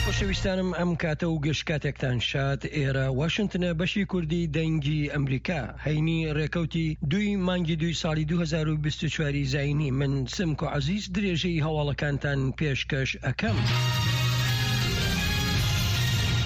خۆشەویستانم ئەم کاتە و گشت کاتێکتان شاد ئێرە واشنتنە بەشی کوردی دەنگی ئەمریکا هەینی ڕێکەوتی دووی مانگی دووی ساڵی 2024 زینی من سمکۆ عەزیز درێژەی هەواڵەکانتان پێشکەش ئەکەم.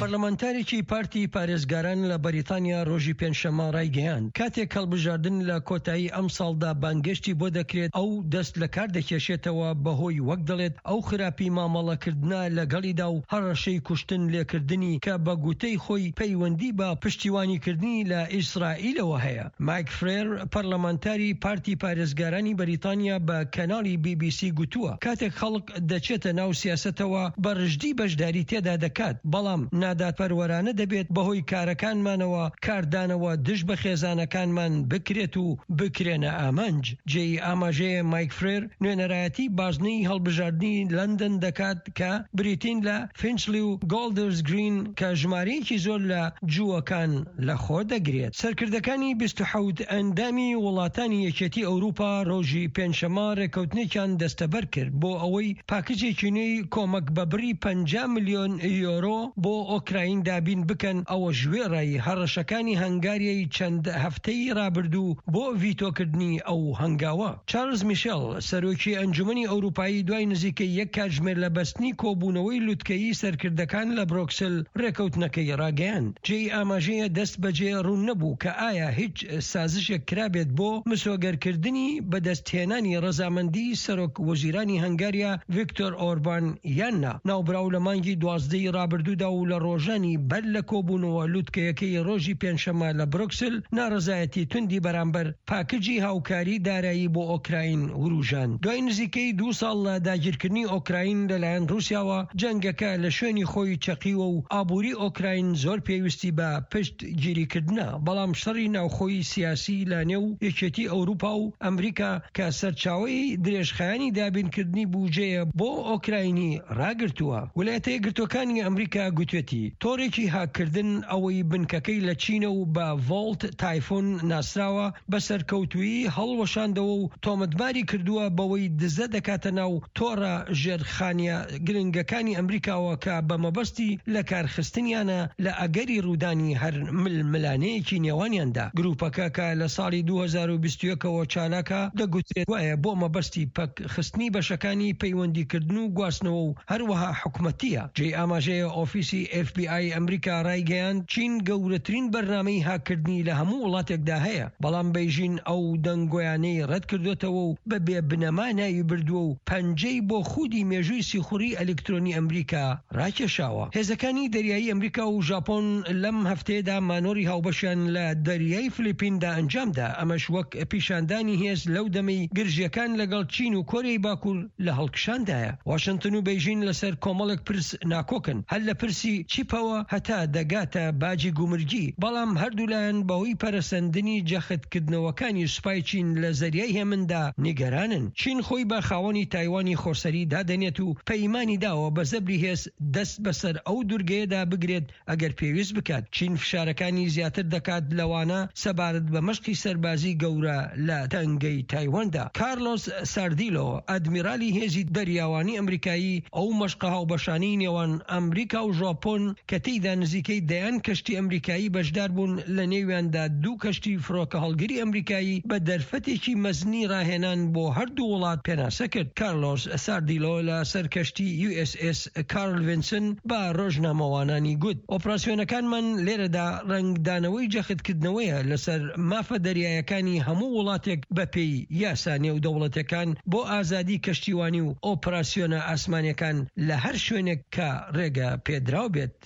پەرلەمانتارێکی پارتی پارێزگاران لە بەریتانیا ڕۆژی پێنجشەممە ڕایگەیاند، کاتێک هەڵبژاردن لە کۆتایی ئەمساڵدا بانگێشتی بۆ دەکرێت ئەو دەست لەکار دەکێشێتەوە بەهۆی وەک دەڵێت ئەو خراپی مامەڵەکردنە لەگەڵیدا و هەڕەشەی کوشتن لێکردنی کە بە گوتەی خۆی پەیوەندی بە پشتیوانیکردنی لە ئیسرائیلەوە هەیە. مایک فرێر، پەرلەمانتاری پارتی پارێزگارانی بەریتانیا بە کەناڵی بی بی سی گوتووە، کاتێک خەڵک دەچێتە ناو سیاسەتەوە بە رژدی بەشداری تێدا دەکات، بەڵام نادادپەروەرانە دەبێت بەهۆی کارەکانمانەوە کاردانەوە دژ بە خێزانەکانمان بکرێت و بکرێنە ئامانج. جێی ئاماژەیە مایک فرێر نوێنەرایەتی بازنەی هەڵبژاردنی لەندەن دەکات کە بریتین لە فینچلی و گۆڵدرز گرین کە ژمارەیەکی زۆر لە جووەکان لەخۆ دەگرێت. سەرکردەکانی 27 ئەندامی وڵاتانی یەکێتی ئەوروپا ڕۆژی پێنجشەممە ڕێککەوتنێکیان دەستەبەر کرد بۆ ئەوەی پاکجێکی نوێی کۆمەک بە بڕی 50 ملیۆن یۆرۆ بۆ ئۆکراین دابین بکەن، ئەوەش وێڕای هەڕەشەکانی هەنگاریای چەند هەفتەی ڕابردوو بۆ ڤیتۆکردنی ئەو هەنگاوە. چارلز میشێل، سەرۆکی ئەنجومەنی ئەوروپایی دوای نزیکەی یەک کاتژمێر لە بەستنی کۆبوونەوەی لوتکەیی سەرکردەکان لە برۆکسل رێکەوتنەکەی راگەیاند. جێی ئاماژەیە دەست بەجێ روون نەبوو کە ئایا هیچ سازشێک کرابێت بۆ مسۆگەرکردنی بەدەستهێنانی رەزامەندی سەرۆک وەزیرانی هەنگاریا ڤیکتۆر ئۆربان یان نا. ناوبراو لە مانگی 12 ی رابردوودا و لە رۆژانی بەر لە کۆبوونەوە لوتکەیەکەی رۆژی پێنجشەممە لە برۆکسل ناڕەزایەتی توندی بەرامبەر پاکجی هاوکاری دارایی بۆ ئۆکراین وروژاند. دوای نزیکەی دوو ساڵ لە داگیرکردنی ئۆکراین لەلایەن ڕووسیاوە، جەنگەکە لە شوێنی خۆی چەقیوە و ئابووری ئۆکراین زۆر پێویستی بە پشتگیریکردنە، بەڵام شەڕی ناوخۆی سیاسی لە نێو یەکێتی ئەوروپا و ئەمریکا کە سەرچاوەی درێژخایەنی دابینکردنی بوجەیە بۆ ئۆکراینی ڕاگرتووە. ولایەتە یەکگرتووەکانی ئەمریکا گوتوێتی، تۆڕێکی هاککردن ئەوەی بنکەکەی لە چینە و بە ڤۆڵت تایفون ناسراوە بە سەرکەوتوویی هەڵوەشاندەوە و تۆمەتباری کردووە بەوەی دزە دەکاتە ناو تۆڕە ژێرخانیە گرنگەکانی ئەمریکاوە کە بە مەبەستی لەکارخستنیانە لە ئەگەری ڕوودانی هەر ململانێیەکی نێوانیاندا. گروپەکە کە لە ساڵی 2021 ەوە چالاکە، دەگوترێت گوایە بۆ مەبەستی پەکخستنی بەشەکانی پەیوەندیکردن و گواستنەوە و هەروەها حکومەتییە. جێی ئاماژەیە ئۆفیسی ئێف بی ئای ئەمریکا ڕایگەیاند، چین گەورەترین بەرنامەی هاککردنی لە هەموو وڵاتێکدا هەیە، بەڵام بەیژین ئەو دەنگۆیانەی ڕەتکردۆتەوە و بە بێ بنەما ناوی بردووە و پەنجەی بۆ خودی مێژووی سیخوڕی ئەلیکترۆنی ئەمریکا ڕاکێشاوە. هێزەکانی دەریایی ئەمریکا و ژاپۆن لەم هەفتەیەدا مانۆڕی هاوبەشیان لە دەریای فلیپیندا ئەنجامدا، ئەمەش وەک پیشاندانی هێز لەو دەمەی گرژییەکان لەگەڵ چین و کۆریای باکوور لە هەڵکشاندایە. واشنتن و بەیژین لەسەر کۆمەڵێک پرس ناکۆکن، هەر لە پرسی چیپەوە هەتا دەگاتە باجی گومرگی، بەڵام هەردوولایان بەهۆی پەرەسەندنی جەختکردنەوەکانی سوپای چین لە زەریای هێمندا نیگەرانن. چین خۆی بە خاوەنی تایوانی خۆسەری دادەنێت و پەیمانی داوە بە زەبری هێز دەست بەسەر ئەو دورگەیەدا بگرێت ئەگەر پێویست بکات. چین فشارەکانی زیاتر دەکات لەوانە سەبارەت بە مەشقی سەربازی گەورە لە تەنگەی تایواندا. کارلۆس ساردیلۆ، ئەدمیرالی هێزی دەریاوانی ئەمریکایی، ئەو مەشقە هاوبەشانەی نێوان ئەمریکا و ژاپۆن کە تێیدا نزیکەی دەیان کەشتی ئەمریکایی بەشداربوون لە نێویاندا دوو کەشتی فڕۆکەهەڵگری ئەمریکایی بە دەرفەتێکی مەزنی ڕاهێنان بۆ هەردوو وڵات پێناسە کرد. کارلۆس ساردیلۆ لە سەر کەشتی یو ئێس ئێس کارل ڤینسن بە ڕۆژنامەوانانی گوت، ئۆپراسیۆنەکانمان لێرەدا ڕەنگدانەوەی جەختکردنەوەیە لەسەر مافە دەریایەکانی هەموو وڵاتێک بەپێی یاسا نێودەوڵەتیەکان بۆ ئازادی کەشتیوانی و ئۆپراسیۆنە ئاسمانیەکان لە هەر شوێنێک کە ڕێگە پێدراو بێت.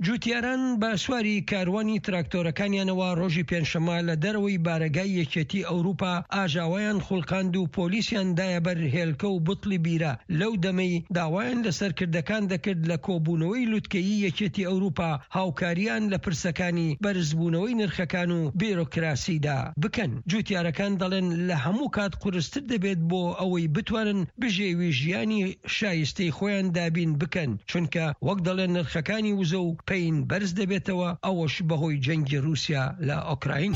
جوتیاران بە سواری کاروانی تراکتۆرەکانیانەوە ڕۆژی پێنجشەممە لە دەرەوەی بارەگای یەکێتی ئەوروپا ئاژاوەیان خوڵقاند و پۆلیسیان دایە بەر هێلکە و بوتڵی بیرە لەو دەمەی داوایان لە سەرکردەکان دەکرد لە کۆبوونەوەی لوتکەیی یەکێتی ئەوروپا هاوکاریان لە پرسەکانی بەرزبوونەوەی نرخەکان و بیرۆکراسیدا بکەن. جوتیارەکان دەڵێن لە هەموو کات قورستر دەبێت بۆ ئەوەی بتوانن بژێوی ژیانی شایستەی خۆیان دابین بکەن، چونکە وەک دەڵێن نرخەکانی وزە و پەین بەرز دەبێتەوە، ئەوەش بەهۆی جەنگی رووسیا لە ئۆکراین.